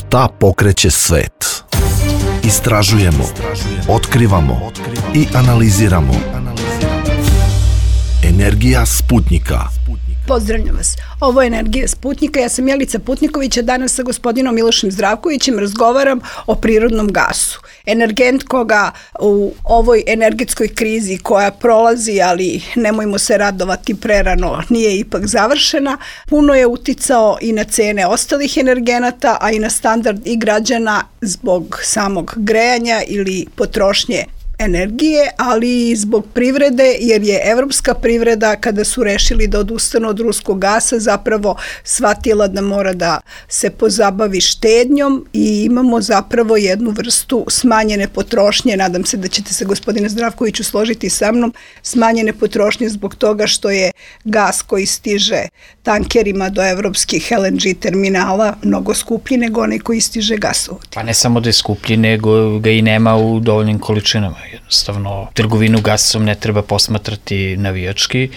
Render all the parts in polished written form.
Šta pokreće svet? Istražujemo, otkrivamo i analiziramo. Energija Sputnika. Pozdravljam vas. Ovo je Energija Sputnika. Ja sam Jelica Putniković, a danas sa gospodinom Milošem Zdravkovićem razgovaram o prirodnom gasu. Energent koga u ovoj energetskoj krizi koja prolazi, ali nemojmo se radovati prerano, nije ipak završena, puno je uticao i na cene ostalih energenata, a i na standard i građana zbog samog grejanja ili potrošnje energije, ali i zbog privrede, jer je evropska privreda, kada su rešili da odustanu od ruskog gasa, zapravo shvatila da mora da se pozabavi štednjom i imamo zapravo jednu vrstu smanjene potrošnje. Nadam se da ćete se, gospodine Zdravkoviću, složiti sa mnom, smanjene potrošnje zbog toga što je gas koji stiže tankerima do evropskih LNG terminala mnogo skuplji nego onaj koji stiže gasovodima. Pa ne samo da je skuplji, nego ga i nema u dovoljnim količinama. Jednostavno, trgovinu gasom ne treba posmatrati navijački.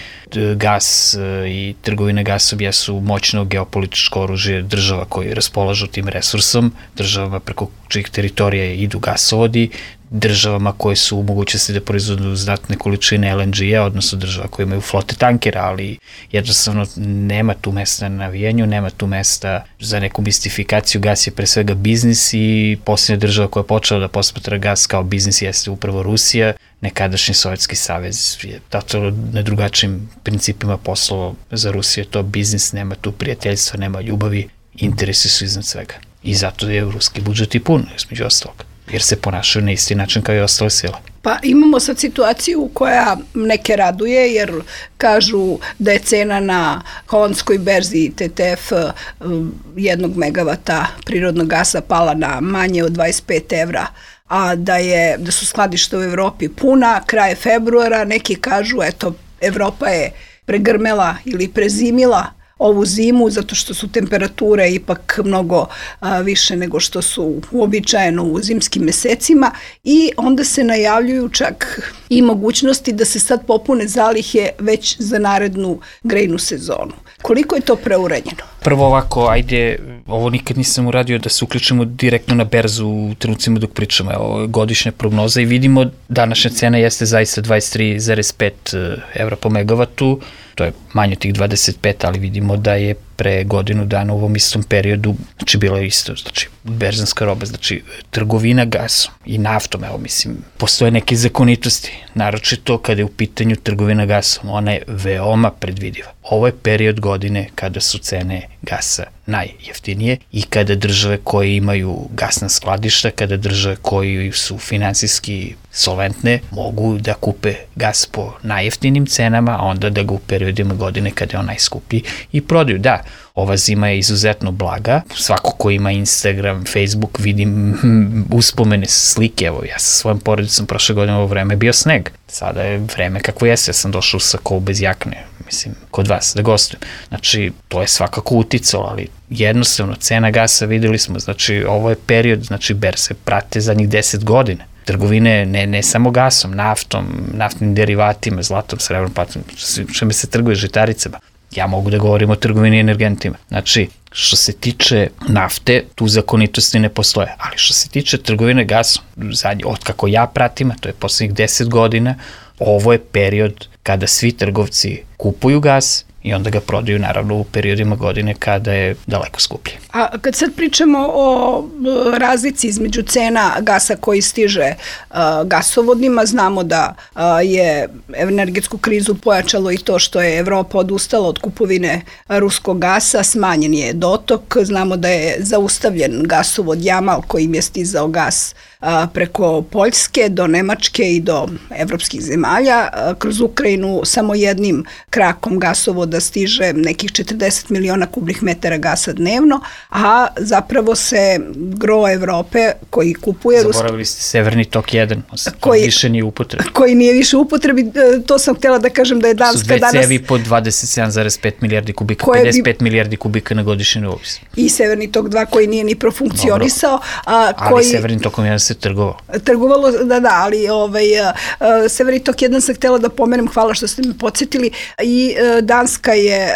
Gas i trgovina gasom jesu moćno geopolitičko oružje država koji raspolažu tim resursom, državama preko čijih teritorija idu gasovodi, državama koje su u mogućnosti da proizvodu znatne količine LNG-a, odnosno država koje imaju flote tankera, ali jednostavno nema tu mesta na navijanju, nema tu mesta za neku mistifikaciju. Gas je pre svega biznis i posljednja država koja je počela da posmatra gas kao biznis jeste upravo Rusija. Nekadašnji Sovjetski savez je totalno na drugačijim principima poslovao. Za Rusiju je to biznis, nema tu prijateljstva, nema ljubavi, interesi su iznad svega. I zato je ruski budžet i pun, između ostalog, jer se ponašaju na isti način kao i ostale sile. Pa imamo sad situaciju koja neke raduje, jer kažu da je cena na holandskoj berzi TTF 1 megavata prirodnog gasa pala na manje od 25 evra, a da su skladišta u Evropi puna, kraj februara. Neki kažu, eto, Evropa je pregrmela ili prezimila ovu zimu zato što su temperature ipak mnogo više nego što su uobičajeno u zimskim mesecima, i onda se najavljuju čak i mogućnosti da se sad popune zalihe već za narednu grejnu sezonu. Koliko je to preuranjeno? Prvo ovako, ajde, ovo nikad nisam uradio da se uključimo direktno na berzu u trenucima dok pričamo. Evo, godišnja prognoza i vidimo današnja cena jeste zaista 23,5 evra po megavatu. To je manje tih 25, ali vidimo da je pre godinu dana u ovom istom periodu, znači bilo je isto, znači berzanska roba, znači trgovina gasom i naftom, evo mislim, postoje neke zakonitosti, naročito kada je u pitanju trgovina gasom, ona je veoma predvidiva. Ovo je period godine kada su cene gasa najjeftinije i kada države koje imaju gasna skladišta, kada države koji su finansijski solventne mogu da kupe gas po najjeftinim cenama, a onda da ga u periodima godine kada je on najskuplji i prodaju. Da, ova zima je izuzetno blaga. Svako ko ima Instagram, Facebook, vidim uspomene, slike. Evo, ja sa svojom porodicom prošle godine ovo vreme je bio sneg. Sada je vreme kako jeste. Ja sam došao sa kol bez jakne, mislim, kod vas da gostujem. Znači, to je svakako uticalo, ali jednostavno cena gasa videli smo. Znači, ovo je period, znači, berze prate zadnjih 10 godina. Trgovine ne samo gasom, naftom, naftnim derivatima, zlatom, srebrom, platom, čime se trguje, žitaricama. Ja mogu da govorim o trgovini energentima. Znači, što se tiče nafte, tu zakonitosti ne postoje, ali što se tiče trgovine gasom, od kako ja pratim, a to je poslednjih 10 godina, ovo je period kada svi trgovci kupuju gas i onda ga prodaju naravno u periodima godine kada je daleko skuplje. A kad sad pričamo o razlici između cena gasa koji stiže gasovodima, znamo da je energetsku krizu pojačalo i to što je Evropa odustala od kupovine ruskog gasa, smanjen je dotok, znamo da je zaustavljen gasovod Jamal kojim je stizao gas preko Poljske do Nemačke i do evropskih zemalja. Kroz Ukrajinu samo jednim krakom gasovoda stiže nekih 40 miliona kubnih metara gasa dnevno, a zapravo se gro Evrope koji kupuje... Zaboravili ste Severni tok 1, koji više nije u upotrebi. Koji nije više u upotrebi, to sam htjela da kažem da je Danska danas... Su dve cevi po 27,5 milijardi kubika, 55 milijardi kubika na godišnji nivou. I Severni tok 2 koji nije ni profunkcionisao. Ali Severni tokom 1 se se trgovalo. Trgovalo, da, ali Severni tok 1 sam htela da pomenem, hvala što ste me podsjetili, i Danska je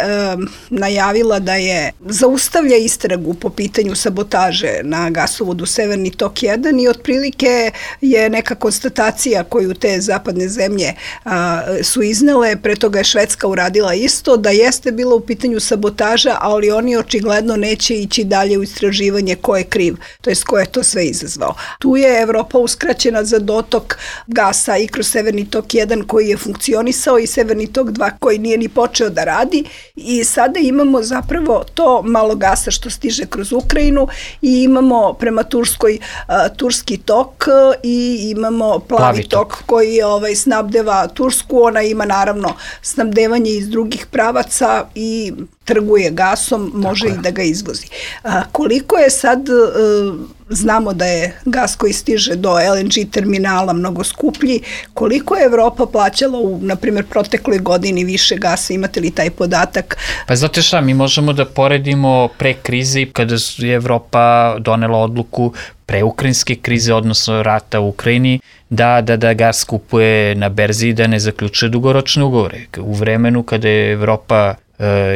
najavila da je zaustavlja istragu po pitanju sabotaže na gasovodu Severni tok 1 i otprilike je neka konstatacija koju te zapadne zemlje su iznele, pre toga je Švedska uradila isto, da jeste bila u pitanju sabotaža, ali oni očigledno neće ići dalje u istraživanje ko je kriv, to jest ko je to sve izazvao. Tu je Evropa uskraćena za dotok gasa i kroz Severni tok 1 koji je funkcionisao i Severni tok 2 koji nije ni počeo da radi i sada imamo zapravo to malo gasa što stiže kroz Ukrajinu i imamo prema Turskoj turski tok i imamo plavi tok koji snabdeva Tursku, ona ima naravno snabdevanje iz drugih pravaca i trguje gasom, može i da ga izvozi. Koliko je sad, znamo da je gas koji stiže do LNG terminala mnogo skuplji, koliko je Evropa plaćala u, na primjer, protekloj godini više gasa, imate li taj podatak? Pa znate šta, mi možemo da poredimo pre krize kada je Evropa donela odluku pre ukrajinske krize, odnosno rata u Ukrajini, da gas kupuje na berzi i da ne zaključuje dugoročne ugovore. U vremenu kada je Evropa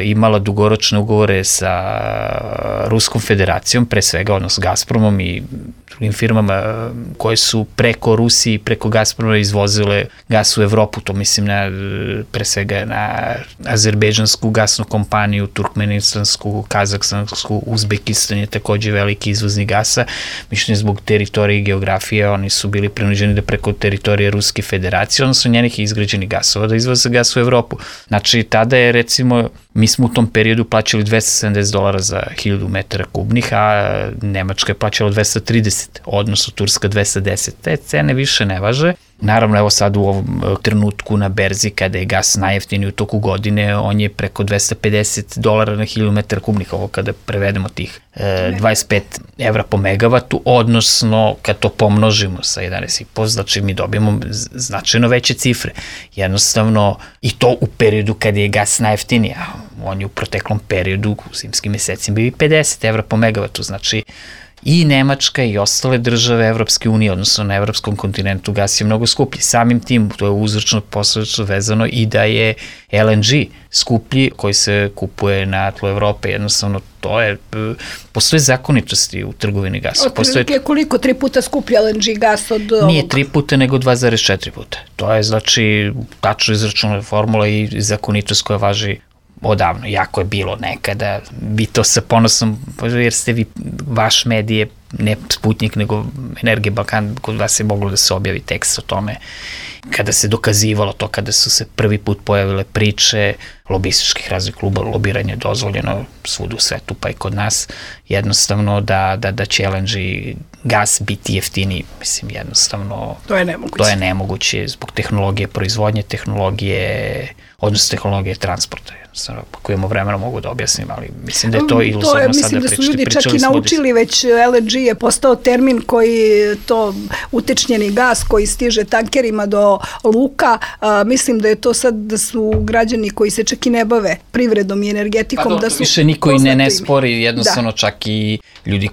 imala dugoročne ugovore sa Ruskom federacijom, pre svega, odnosno Gazpromom i drugim firmama koje su preko Rusiji, preko Gazproma izvozile gas u Evropu, to mislim pre svega na azerbejdžansku gasnu kompaniju, turkmenistansku, kazahstansku, Uzbekistan je takođe veliki izvoznik gasa, mišljenje zbog teritorije i geografije, oni su bili prinuđeni da preko teritorije Ruske federacije, odnosno njenih izgrađenih gasova, da izvoze gas u Evropu. Znači, tada je, recimo, mi smo u tom periodu plaćali $270 za 1000 metara kubnih, a Nemačka je plaćala 230, odnosno Turska 210. Te cene više ne važe. Naravno, evo sad u ovom trenutku na berzi, kada je gas najjeftiniji u toku godine, on je preko $250 na 1000 metara kubnih, ovo kada prevedemo tih 25 evra po megavatu, odnosno kad to pomnožimo sa 11,5, znači mi dobijemo značajno veće cifre. Jednostavno, i to u periodu kada je gas najjeftiniji, a on je u proteklom periodu, u zimskim mesecima, bio i 50 evra po megavatu, znači i Nemačka i ostale države Evropske unije, odnosno na evropskom kontinentu, gas je mnogo skuplji. Samim tim, to je uzročno posledično vezano i da je LNG skuplji koji se kupuje na tlu Evrope. Jednostavno, to je, postoje zakonitosti u trgovini gasa. Otprilike koliko? 3 puta skuplji LNG gas od ovog? Nije 3 puta, nego 2,4 puta. To je, znači, tačno izračunata formula i zakonitost koja važi odavno. Jako je bilo nekada, vi to sa ponosom, jer ste vi, vaš medije, ne Sputnik, nego Energija Balkan, kod vas je moglo da se objavi tekst o tome, kada se dokazivalo to, kada su se prvi put pojavile priče lobističkih raznih kluba, lobiranje je dozvoljeno svuda u svetu, pa i kod nas, jednostavno da će LNG gas biti jeftiniji, mislim, jednostavno to je nemoguće. To je nemoguće zbog tehnologije proizvodnje, odnosno tehnologije transporta. Ako imamo vremena mogu da objasnim, ali mislim da je to iluzorno sada pričati. Mislim da su ljudi čak i naučili, već LNG je postao termin koji, to utečnjeni gas koji stiže tankerima do luka, mislim da je to sad da su građani koji se čak i ne bave privredom i energetikom, da su više niko i ne spori, jednostavno čak i ljudi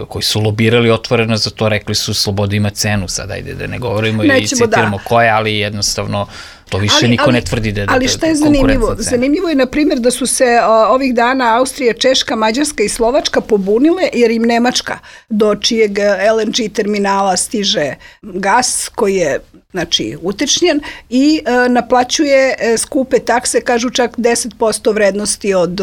koji su lobirali otvoreno za to, rekli su sloboda ima cenu, sad ajde da ne govorimo i citiramo koje, ali jednostavno to više niko ne tvrdi da je konkurentna cena. Ali šta je zanimljivo? Zanimljivo je, na primjer, da su se ovih dana Austrija, Češka, Mađarska i Slovačka pobunile, jer im Nemačka, do čijeg LNG terminala stiže gas koji je, znači, utečnjen i naplaćuje skupe takse, kažu čak 10% vrednosti od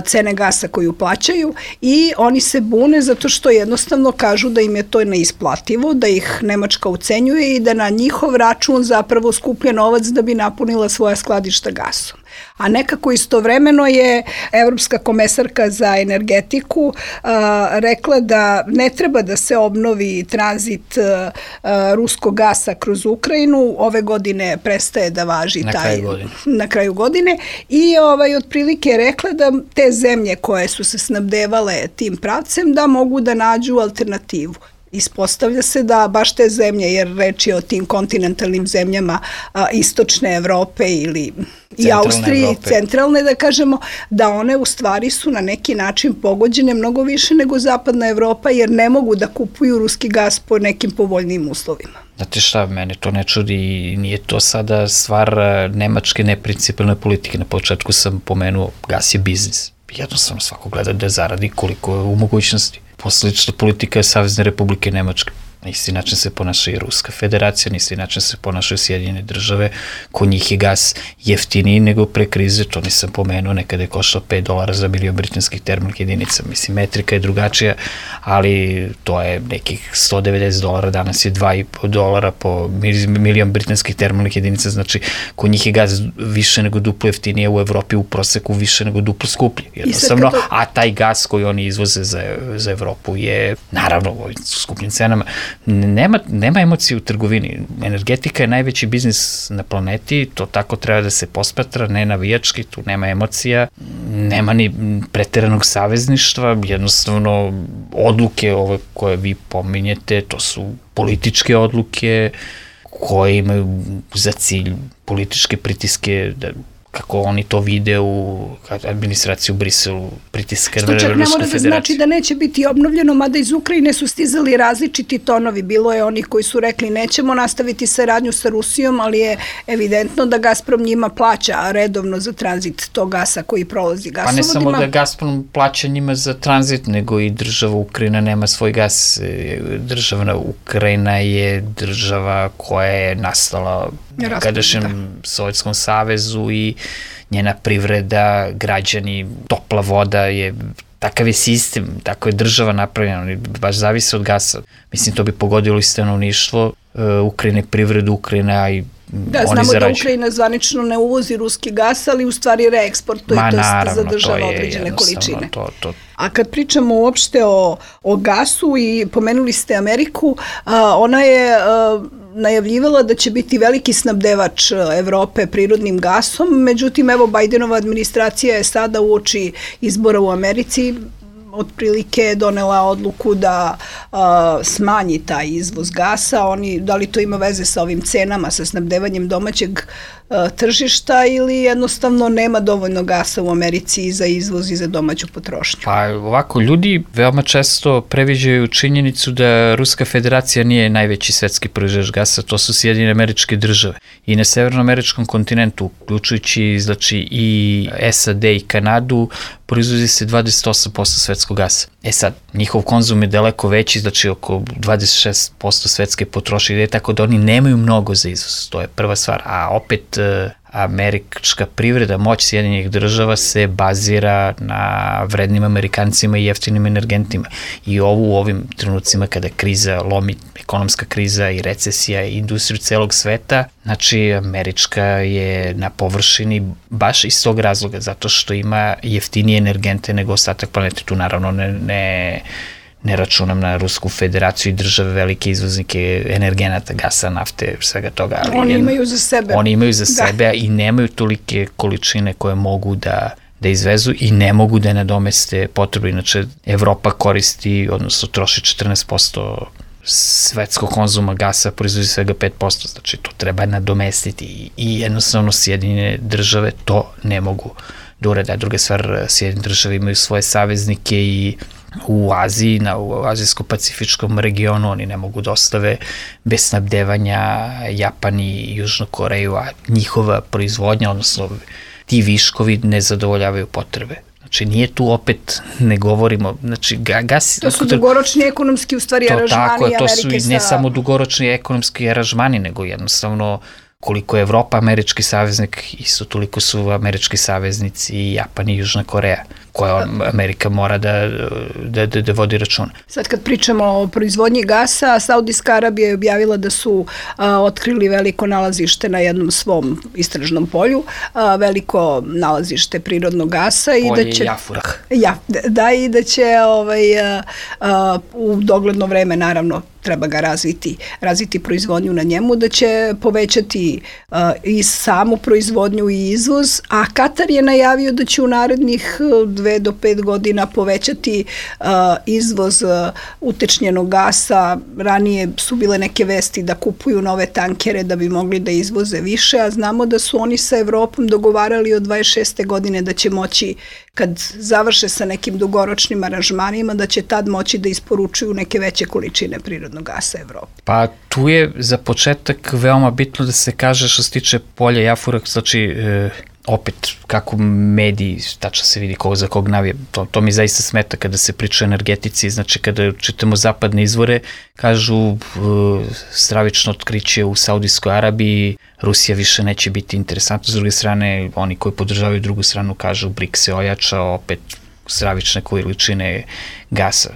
cene gasa koju plaćaju, i oni se bune zato što jednostavno kažu da im je to neisplativo, da ih Nemačka ucenjuje i da na njihov račun zapravo skuplje novac da bi napunila svoja skladišta gasom. A nekako istovremeno je Evropska komesarka za energetiku rekla da ne treba da se obnovi tranzit ruskog gasa kroz Ukrajinu, ove godine prestaje da važi na kraju godine i otprilike je rekla da te zemlje koje su se snabdevale tim pravcem da mogu da nađu alternativu. Ispostavlja se da baš te zemlje, jer reč je o tim kontinentalnim zemljama istočne Evrope ili i Austriji, centralne da kažemo, da one u stvari su na neki način pogođene mnogo više nego zapadna Evropa, jer ne mogu da kupuju ruski gas po nekim povoljnijim uslovima. Znate šta, mene to ne čudi i nije to sada stvar nemačke neprincipijalne politike. Na početku sam pomenuo, gas je biznis. Jednostavno svako gleda da zaradi koliko je u mogućnosti. Posledična politika je Savezne Republike Nemačke. Na isti način se ponaša i Ruska federacija, na isti način se ponašaju Sjedinjene države. Kod njih je gas jeftiniji nego pre krize, to nisam pomenuo, nekada je koštao $5 za milion britanskih termalnih jedinica. Mislim, metrika je drugačija, ali to je nekih $190, danas je $2,5 po milion britanskih termalnih jedinica, znači kod njih je gas više nego duplo jeftinije, u Evropi u proseku više nego duplo skuplji. Jednostavno, a taj gas koji oni izvoze za Evropu je, naravno, u ovim skupljim cenama. Nema emocije u trgovini. Energetika je najveći biznis na planeti, to tako treba da se posmatra, ne navijački, tu nema emocija, nema ni preteranog savezništva, jednostavno odluke ove koje vi pominjete, to su političke odluke koje imaju za cilj političke pritiske, kako oni to vide u administraciji u Briselu, pritiska na Rusku federaciju. Što čak ne mora da znači da neće biti obnovljeno, mada iz Ukrajine su stizali različiti tonovi. Bilo je onih koji su rekli nećemo nastaviti saradnju sa Rusijom, ali je evidentno da Gazprom njima plaća redovno za tranzit tog gasa koji prolazi gasovodima. Pa ne samo da Gazprom plaća njima za tranzit, nego i država Ukrajina nema svoj gas. Država Ukrajina je država koja je nastala u kadašnjem Sovjetskom savezu i njena privreda, građani, topla voda je, takav je sistem, tako je država napravljena, oni baš zavise od gasa. Mislim, to bi pogodilo i stanovništvo Ukrajine, privredu Ukrajina i da, znamo da Ukrajina zvanično ne uvozi ruski gas, ali u stvari reeksportuje, to jest zadržava određene količine. A kad pričamo uopšte o gasu i pomenuli ste Ameriku, ona je najavljivala da će biti veliki snabdevač Evrope prirodnim gasom, međutim, evo, Bajdenova administracija je sada uoči izbora u Americi otprilike donela odluku da smanji taj izvoz gasa. Da li to ima veze sa ovim cenama, sa snabdevanjem domaćeg tržišta ili jednostavno nema dovoljno gasa u Americi za izvoz i za domaću potrošnju? Pa ovako, ljudi veoma često previđaju činjenicu da Ruska federacija nije najveći svetski proizvođač gasa, to su Sjedinjene Američke države. I na severnoameričkom kontinentu, uključujući znači i SAD i Kanadu, proizvodi se 28% svetskog gasa. Sad, njihov konzum je daleko veći, znači oko 26% svetske potrošnje, tako da oni nemaju mnogo za izvoz, to je prva stvar. A opet, američka privreda, moć Sjedinjenih država se bazira na vrednim Amerikancima i jeftinim energentima. I u ovim trenucima kada kriza lomi, ekonomska kriza i recesija i industriju celog sveta, znači američka je na površini baš iz tog razloga, zato što ima jeftinije energente nego ostatak planete. Tu naravno ne računam na Rusku federaciju i države, velike izvoznike energenata, gasa, nafte, svega toga. Ali oni imaju za sebe. Oni imaju za sebe i nemaju tolike količine koje mogu da izvezu i ne mogu da nadomeste potrebu. Inače, Evropa koristi, odnosno troši 14% svetskog konzuma gasa, proizvodi svega 5%, znači to treba nadomestiti i jednostavno Sjedinjene države to ne mogu da urade. A druga stvar, Sjedinjene države imaju svoje saveznike i u Aziji, u azijsko-pacifičkom regionu, oni ne mogu da ostave bez snabdevanja Japan i Južnu Koreju, a njihova proizvodnja, odnosno ti viškovi ne zadovoljavaju potrebe. Znači, nije tu opet, ne govorimo, znači, gas... To su dugoročni ekonomski, u stvari, aranžmani Amerike. To su ne samo dugoročni ekonomski aranžmani, nego jednostavno koliko je Evropa američki saveznik, isto toliko su američki saveznici i Japan i Južna Koreja, koja Amerika mora da vodi računa. Sad kad pričamo o proizvodnji gasa, Saudijska Arabija je objavila da su otkrili veliko nalazište na jednom svom istražnom polju, veliko nalazište prirodnog gasa. Polje Jafurah. Da, i da će u dogledno vreme, naravno, treba ga razviti proizvodnju na njemu, da će povećati i samu proizvodnju i izvoz, a Katar je najavio da će u narednih 2 2 do 5 godina povećati izvoz utečnjenog gasa. Ranije su bile neke vesti da kupuju nove tankere da bi mogli da izvoze više, a znamo da su oni sa Evropom dogovarali od 26. godine da će moći, kad završe sa nekim dugoročnim aranžmanima, da će tad moći da isporučuju neke veće količine prirodnog gasa Evropi. Pa tu je za početak veoma bitno da se kaže što se tiče polja Jafurak, znači opet kako mediji, tačno se vidi za kog navije, to mi zaista smeta kada se priča o energetici, znači kada čitamo zapadne izvore, kažu stravično otkriće u Saudijskoj Arabiji, Rusija više neće biti interesantna, s druge strane oni koji podržavaju drugu stranu kažu BRICS se ojača, opet stravične količine gasa.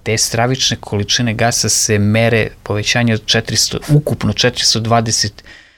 Te stravične količine gasa se mere povećanje od ukupno 420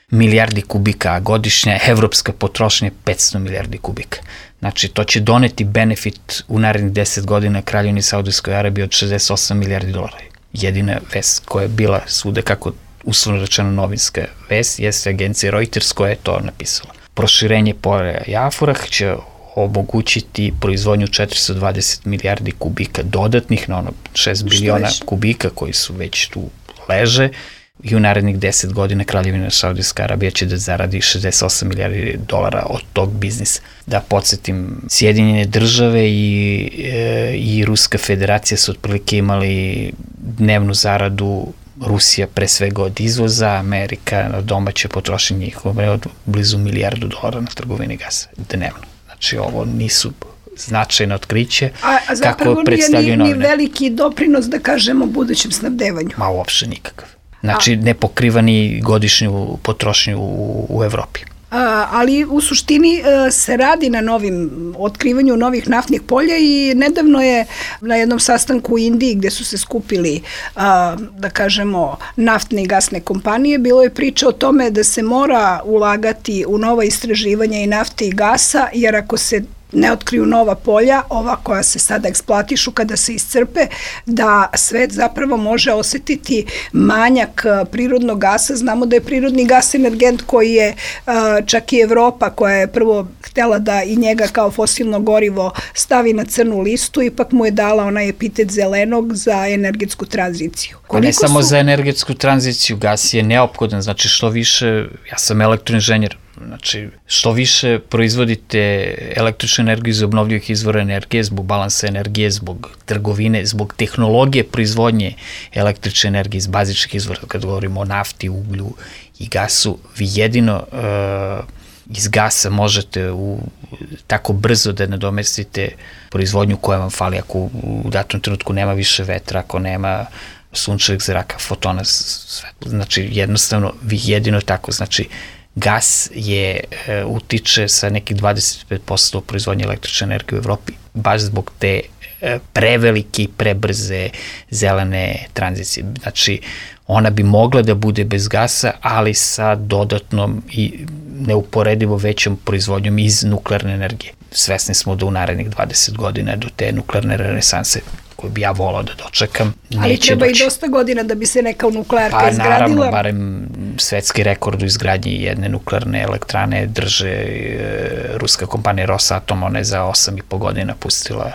milijardi kubika, a godišnja evropska potrošnja je 500 milijardi kubika. Znači, to će doneti benefit u narednih 10 godina Kraljevini Saudijskoj Arabiji od 68 milijardi dolara. Jedina vest koja je bila svuda, kako uslovno rečeno novinska vest, jeste agencija Reuters koja je to napisala. Proširenje polja Jafurah će omogućiti proizvodnju 420 milijardi kubika dodatnih na ono 6 biliona kubika koji su već tu leže, i u narednih 10 godina Kraljevina Saudijska Arabija će da zaradi 68 milijardi dolara od tog biznisa. Da podsjetim, Sjedinjene države i Ruska federacija su otprilike imali dnevnu zaradu, Rusija pre svega od izvoza, Amerika na domaće potrošenje njihove od blizu milijardu dolara na trgovini gasa dnevno. Znači ovo nisu značajno otkriće. A zapravo nije ni veliki doprinos, da kažemo, budućem snabdevanju. Ma uopšte nikakav. Znači, ne pokriva ni godišnju potrošnju u Evropi. Ali u suštini se radi na otkrivanju novih naftnih polja i nedavno je na jednom sastanku u Indiji gde su se skupili, da kažemo, naftne i gasne kompanije, bilo je priča o tome da se mora ulagati u nova istraživanja i nafte i gasa, jer ako se ne otkriju nova polja, ova koja se sada eksploatišu kada se iscrpe, da svet zapravo može osetiti manjak prirodnog gasa. Znamo da je prirodni gas energent koji je čak i Evropa, koja je prvo htela da i njega kao fosilno gorivo stavi na crnu listu, ipak mu je dala onaj epitet zelenog za energetsku tranziciju. Ne samo za energetsku tranziciju, gas je neophodan, znači što više, ja sam elektroinženjer, znači, što više proizvodite električnu energiju iz obnovljivih izvora energije, zbog balansa energije, zbog trgovine, zbog tehnologije proizvodnje električne energije iz bazičnih izvora, kad govorimo o nafti, uglju i gasu, vi jedino iz gasa možete tako brzo da nadomestite proizvodnju koja vam fali, ako u datom trenutku nema više vetra, ako nema sunčevog zraka, fotona, znači jednostavno vi jedino tako, znači gas utiče sa nekih 25% u proizvodnje električne energije u Evropi, baš zbog te prevelike i prebrze zelene tranzicije. Znači, ona bi mogla da bude bez gasa, ali sa dodatnom i neuporedivo većom proizvodnjom iz nuklearne energije. Svesni smo da u narednih 20 godina do te nuklearne renesanse, koju bi ja volao da dočekam, neće doći. Ali treba i dosta godina da bi se neka nuklearka izgradila. Pa naravno, barem svetski rekord u izgradnji jedne nuklearne elektrane drže ruska kompanija Rosatom, ona je za 8,5 godina pustila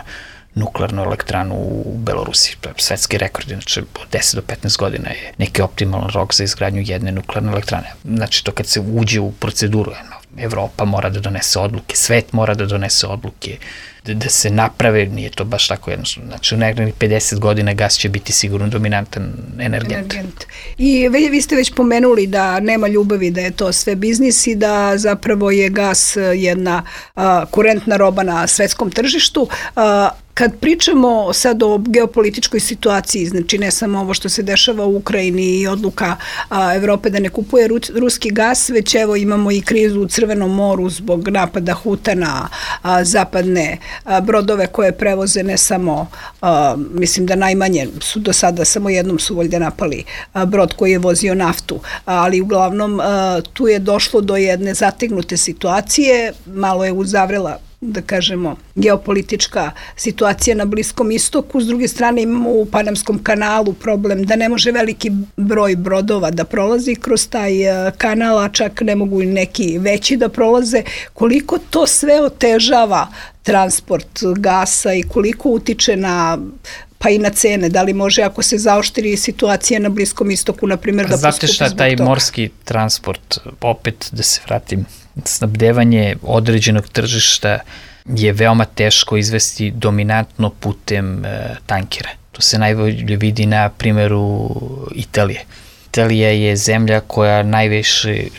nuklearnu elektranu u Belorusiji. To je svetski rekord, znači od 10 do 15 godina je neki optimalan rok za izgradnju jedne nuklearne elektrane. Znači to kad se uđe u proceduru, Evropa mora da donese odluke, svet mora da donese odluke, da se naprave, nije to baš tako jednostavno. Znači u nekih 50 godina gas će biti sigurno dominantan energent. I vi ste već pomenuli da nema ljubavi, da je to sve biznis i da zapravo je gas jedna kurentna roba na svetskom tržištu. Kad pričamo sad o geopolitičkoj situaciji, znači ne samo ovo što se dešava u Ukrajini i odluka Evrope da ne kupuje ruski gas, već evo imamo i krizu u Crvenom moru zbog napada Huta na zapadne brodove koje prevoze ne samo, mislim da najmanje su do sada, samo jednom su valjda napali brod koji je vozio naftu, ali uglavnom tu je došlo do jedne zategnute situacije, malo je uzavrela da kažemo, geopolitička situacija na Bliskom istoku. S druge strane imamo u Panamskom kanalu problem da ne može veliki broj brodova da prolazi kroz taj kanal, a čak ne mogu i neki veći da prolaze. Koliko to sve otežava transport gasa i koliko utiče na pa i na cene, da li može ako se zaoštri situacija na Bliskom istoku, na primjer, da poskupi zbog toga? Znate šta, taj morski transport, opet da se vratim, snabdevanje određenog tržišta je veoma teško izvesti dominantno putem tankera. To se najbolje vidi na primjeru Italije. Italija je zemlja koja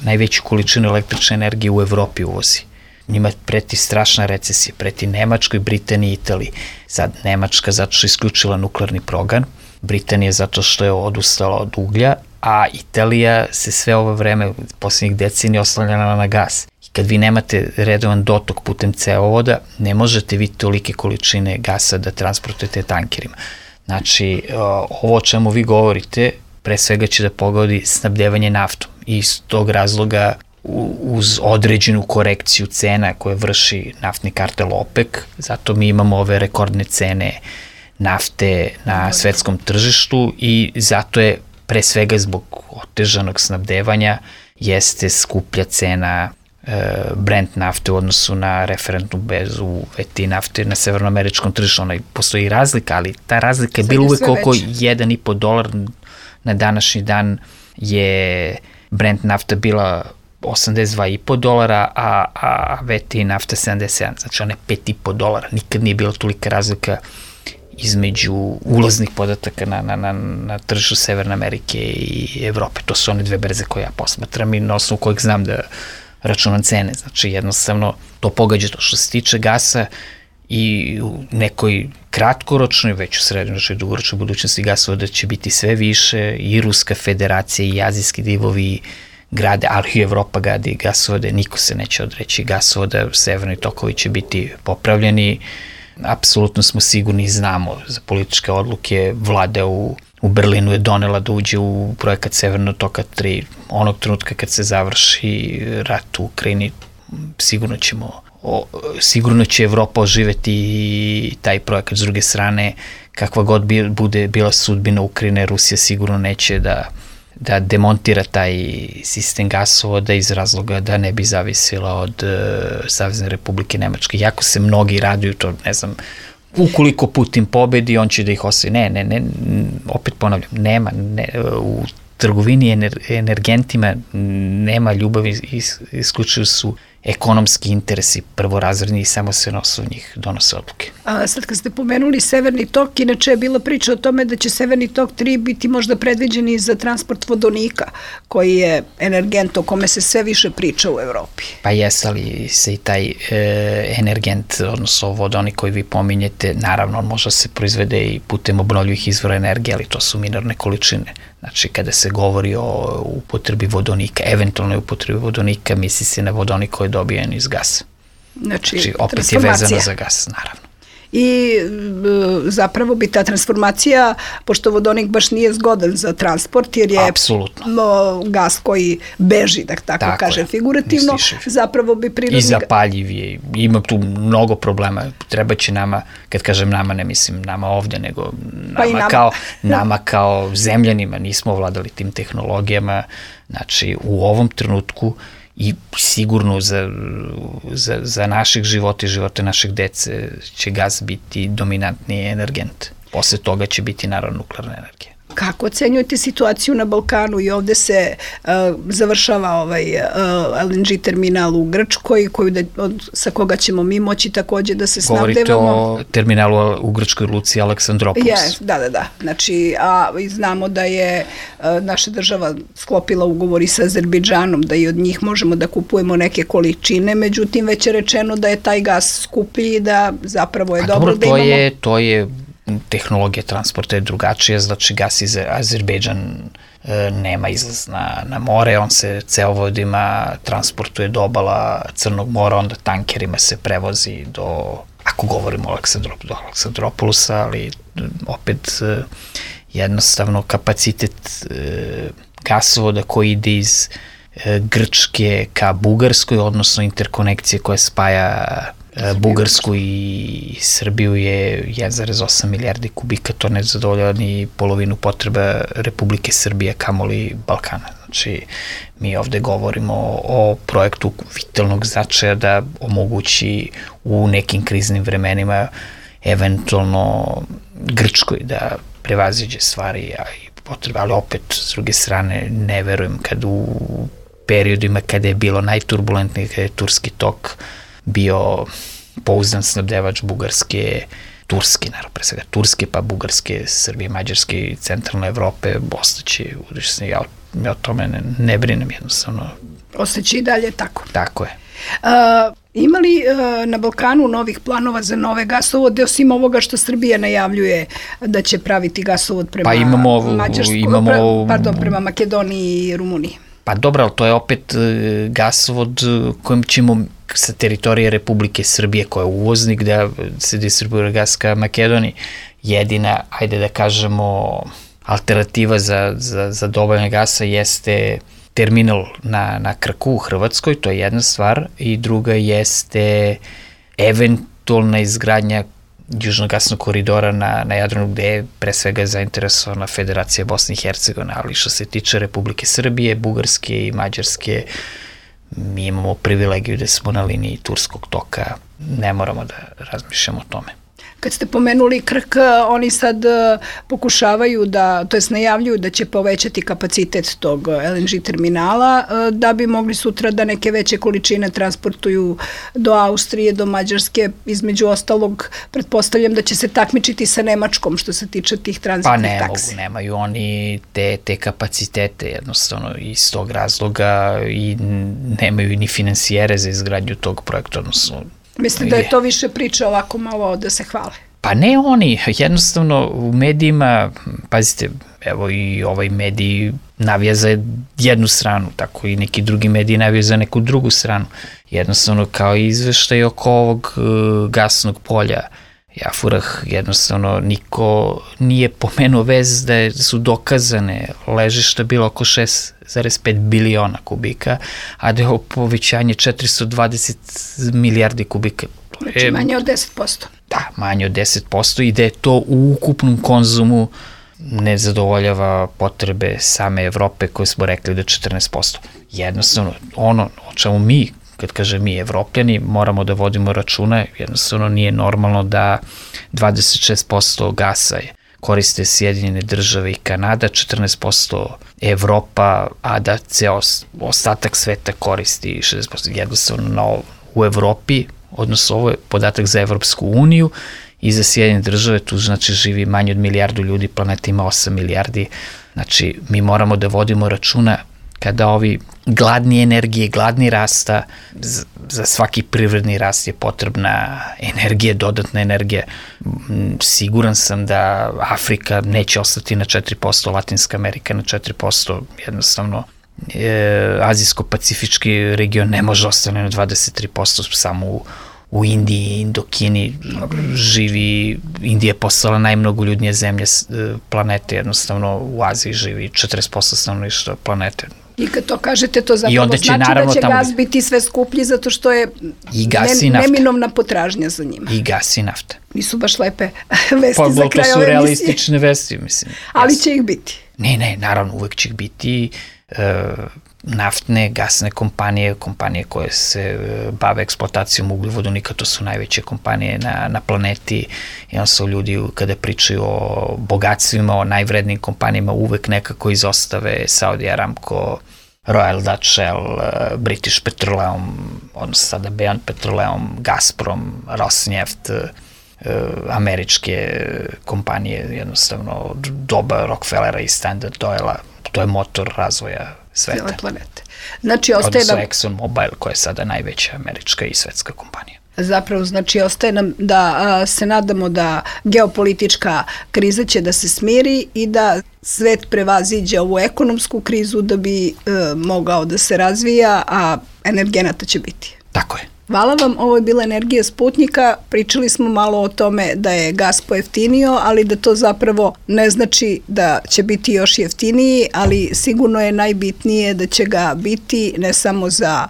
najveću količinu električne energije u Evropi uvozi. Njima preti strašna recesija, preti Nemačkoj, Britaniji i Italiji. Sad Nemačka zato što je isključila nuklearni program, Britanija zato što je odustala od uglja, a Italija se sve ovo vreme, posljednjih decenija, oslanjala na gas. I kad vi nemate redovan dotok putem cevovoda, ne možete vi tolike količine gasa da transportujete tankerima. Znači, ovo o čemu vi govorite, pre svega će da pogodi snabdevanje naftom. I iz tog razloga uz određenu korekciju cena koje vrši naftni kartel OPEC, zato mi imamo ove rekordne cene nafte na svetskom tržištu i zato je pre svega zbog otežanog snabdevanja jeste skuplja cena Brent nafte u odnosu na referentnu berzu VT nafte na severnoameričkom tržištu. Postoji razlika, ali ta razlika je bila uvek oko $1,5 na današnji dan je Brent nafta bila $82,5, a VT nafta 77, znači ona je $5,5. Nikad nije bila tolika razlika između ulaznih podataka na tržištu Severne Amerike i Evrope. To su one dve berze koje ja posmatram i na osnovu kojeg znam da računam cene. Znači jednostavno to pogađa to što se tiče gasa i u nekoj kratkoročnoj, već u srednjoročnoj i dugoročnoj budućnosti gasovoda će biti sve više i Ruska federacija i azijski divovi grade, ali i Evropa gradi gasovode, niko se neće odreći gasovoda, severni tokovi će biti popravljeni. Apsolutno smo sigurni i znamo za političke odluke. Vlada u Berlinu je donela da uđe u projekat Severnog toka 3. Onog trenutka kad se završi rat u Ukrajini, sigurno će Evropa oživeti taj projekat. S druge strane, kakva god bude bila sudbina Ukrajine, Rusija sigurno neće da demontira taj sistem gasovoda iz razloga da ne bi zavisila od Savezne Republike Nemačke. Jako se mnogi raduju to, ne znam, ukoliko Putin pobedi, on će da ih ostavi. Ne, opet ponavljam, nema, u trgovini energentima nema ljubavi, isključivo su ekonomski interesi prvorazredni i samo se na osnovu njih donose odluke. A sad kad ste pomenuli Severni tok, inače je bila priča o tome da će Severni tok 3 biti možda predviđen i za transport vodonika, koji je energent o kome se sve više priča u Evropi. Pa jeste, ali se i taj energent, odnosno vodonik koji vi pominjete, naravno on može se proizvede i putem obnovljivih izvora energije, ali to su minorne količine. Znači, kada se govori o upotrebi vodonika, eventualnoj upotrebi vodonika, misli se na vodonik koji je dobijen iz gasa. Znači opet je vezano za gas, naravno. I zapravo bi ta transformacija, pošto vodonik baš nije zgodan za transport, jer je gas koji beži, da tako kažem, figurativno, zapravo bi prirodni... I zapaljiv je, ima tu mnogo problema, treba će nama, kad kažem nama, ne mislim nama ovdje, nego nama kao zemljanima, nismo ovladali tim tehnologijama, znači u ovom trenutku i sigurno za naših života i živote naših dece će gas biti dominantni energent. Posle toga će biti naravno nuklearna energija. Kako ocenjujete situaciju na Balkanu i ovde se završava LNG terminal u Grčkoj, sa koga ćemo mi moći takođe da se snabdevamo? Govorite o terminalu u Grčkoj luci Aleksandropoulos. Da. Znači, znamo da je naša država sklopila ugovor i sa Azerbejdžanom, da i od njih možemo da kupujemo neke količine, međutim već je rečeno da je taj gas skuplji i da zapravo je dobro da imamo... To je tehnologija transporta je drugačija, znači gas iz Azerbejdžan nema izlaz na more, on se cevovodima transportuje do obala Crnog mora, onda tankerima se prevozi ako govorimo o Aleksandropoulosa, ali opet jednostavno kapacitet gasovoda koji ide iz Grčke ka Bugarskoj, odnosno interkonekcije koja spaja Bugarsku i Srbiju je 1,8 milijardi kubika, to ne zadovoljava ni polovinu potreba Republike Srbije, kamoli Balkana. Znači, mi ovde govorimo o projektu vitalnog značaja da omogući u nekim kriznim vremenima eventualno Grčkoj da prevaziđe stvari, potrebe, ali opet, s druge strane, ne verujem kad u periodima kada je bilo najturbulentnije, kada je turski tok bio pouzdan snabdevač Bugarske, Turske, naravno, pre svega Turske, pa Bugarske, Srbije, Mađarske i centralne Evrope, ostaće udešćeni. Ja o tome ne brinem jednostavno. Ostaće i dalje tako. Tako je. Ima li na Balkanu novih planova za nove gasovode, osim ovoga što Srbija najavljuje da će praviti gasovod prema prema Makedoniji i Rumuniji? Pa dobro, ali to je opet gasovod kojim ćemo sa teritorije Republike Srbije, koja je uvoznik, da se distribuira gas ka Makedoniji. Jedina, ajde da kažemo, alternativa za dobavljanje gasa jeste terminal na Krku u Hrvatskoj, to je jedna stvar, i druga jeste eventualna izgradnja južnog gasnog koridora na Jadranu, gde je pre svega zainteresovana Federacija Bosne i Hercegovine, ali što se tiče Republike Srbije, Bugarske i Mađarske, mi imamo privilegiju da smo na liniji turskog toka, ne moramo da razmišljamo o tome. Kad ste pomenuli Krk, oni sad pokušavaju to jest najavljuju da će povećati kapacitet tog LNG terminala, da bi mogli sutra da neke veće količine transportuju do Austrije, do Mađarske, između ostalog, pretpostavljam da će se takmičiti sa Nemačkom što se tiče tih tranzitnih taksi. Pa nemaju oni te kapacitete jednostavno iz tog razloga i nemaju ni finansijere za izgradnju tog projekta, odnosno. Mislite da je to više priča ovako malo da se hvale? Pa ne oni, jednostavno u medijima, pazite, evo i ovaj medij navija za jednu stranu, tako i neki drugi mediji navija za neku drugu stranu. Jednostavno kao izveštaj oko ovog gasnog polja Jafurah, jednostavno niko nije pomenuo vez da su dokazane ležišta bilo oko 6,5 biliona kubika, a da je ovo povećanje 420 milijardi kubika. Znači manje od 10%. Da, manje od 10% i da je to u ukupnom konzumu ne zadovoljava potrebe same Evrope koje smo rekli da 14%. Jednostavno, ono o čemu mi, kad kažem mi Evropljani, moramo da vodimo računa, jednostavno nije normalno da 26% gasa koriste Sjedinjene države i Kanada, 14% Evropa, a da ceo ostatak sveta koristi 60%. Jednostavno u Evropi, odnosno ovo je podatak za Evropsku uniju i za Sjedinjene države, tu znači živi manje od milijardu ljudi, planeta ima 8 milijardi, znači mi moramo da vodimo računa kada ovi gladni energije, gladni rasta, za svaki privredni rast je potrebna energija, dodatna energija. Siguran sam da Afrika neće ostati na 4%, Latinska Amerika na 4%, jednostavno Azijsko-pacifički region ne može ostati na 23%, samo u Indiji, Indokini živi, Indija je postala najmnogoljudnija zemlja planete, jednostavno u Aziji živi 40% stanovništva planete. I kad to kažete, to zapravo znači da će gas biti sve skuplji zato što je neminovna potražnja za njima. I gas i nafta. Nisu baš lepe vesti za kraj ove emisije. To su realistične vesti, mislim. Ali će ih biti. Ne, naravno, uvek će ih biti. Naftne, gasne kompanije koje se bave eksploatacijom ugljovodonika, to su najveće kompanije na planeti. Jednostavno ljudi kada pričaju o bogatstvima, o najvrednijim kompanijama, uvek nekako izostave Saudi Aramco, Royal Dutch Shell, British Petroleum, odnosno sada Beyond Petroleum, Gazprom, Rosneft, američke kompanije, jednostavno doba Rockefellera i Standard Oila, to je motor razvoja sveta. Cijele planete. Znači, ostaje nam... Odnosno ExxonMobil, koja je sada najveća američka i svetska kompanija. Zapravo, znači, ostaje nam da se nadamo da geopolitička kriza će da se smiri i da svet prevaziđe ovu ekonomsku krizu da bi mogao da se razvija, a energenata će biti. Tako je. Hvala vam, ovo je bila Energija Sputnika. Pričali smo malo o tome da je gas pojeftinio, ali da to zapravo ne znači da će biti još jeftiniji, ali sigurno je najbitnije da će ga biti ne samo za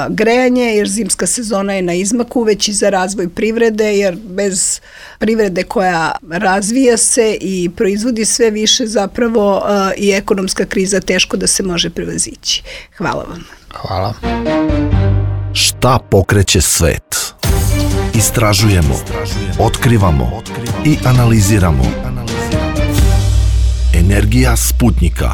grejanje, jer zimska sezona je na izmaku, već i za razvoj privrede, jer bez privrede koja razvija se i proizvodi sve više, zapravo i ekonomska kriza teško da se može prevazići. Hvala vam. Hvala. Šta pokreće svet? Istražujemo, otkrivamo i analiziramo. Energija Sputnika.